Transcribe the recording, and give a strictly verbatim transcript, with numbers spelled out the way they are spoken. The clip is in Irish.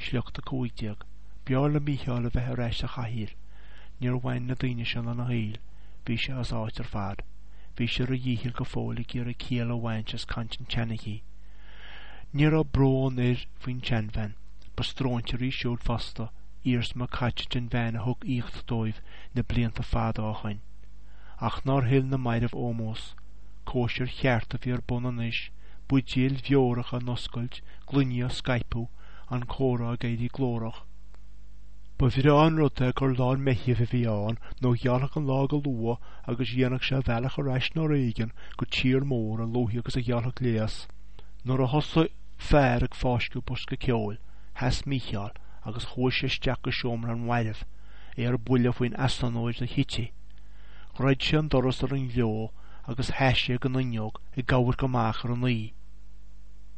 Sliocht a cúig déag. B'fhearr le Mícheál a bheith ar ais sa chathaoir. Níor bhain na daoine seo lena shaol. Bhí sé as áit ar fad. Bhí sé ar a dhícheall go fóill ag iarraidh ciall a bhaint as caint an tseanchaí. Ní raibh brón air faoin tseanbhean. Ba stróinséir í siúd fosta, iarsma caite den bhean a thug aíocht dóibh na blianta fada ó shoin. Ach nár thuill na mairbh ómós. Cóisir cheart a bhí ar bun anois, buidéil bheorach á n-oscailt, gloiní á scaipeadh, an comhrá ag éirí glórach. Ba bhreá an rud é gur lár Meithimh a bhí ann nó ghealfadh an lá go luath agus dhéanfadh sé a bhealach ar ais nó ar éigean go tír mór a luaithe agus a gheallfadh léas. Nuair a thosaigh fear ag fáisceadh bosca ceoil, sheas Mícheál agus chuaigh sé isteach go seomra an mhairbh, é ar buile faoin easonóir do Chití. Dhruid sé an doras ar an ghleo agus sheas sé ag an fhuinneog ag amharc amach ar an oíche.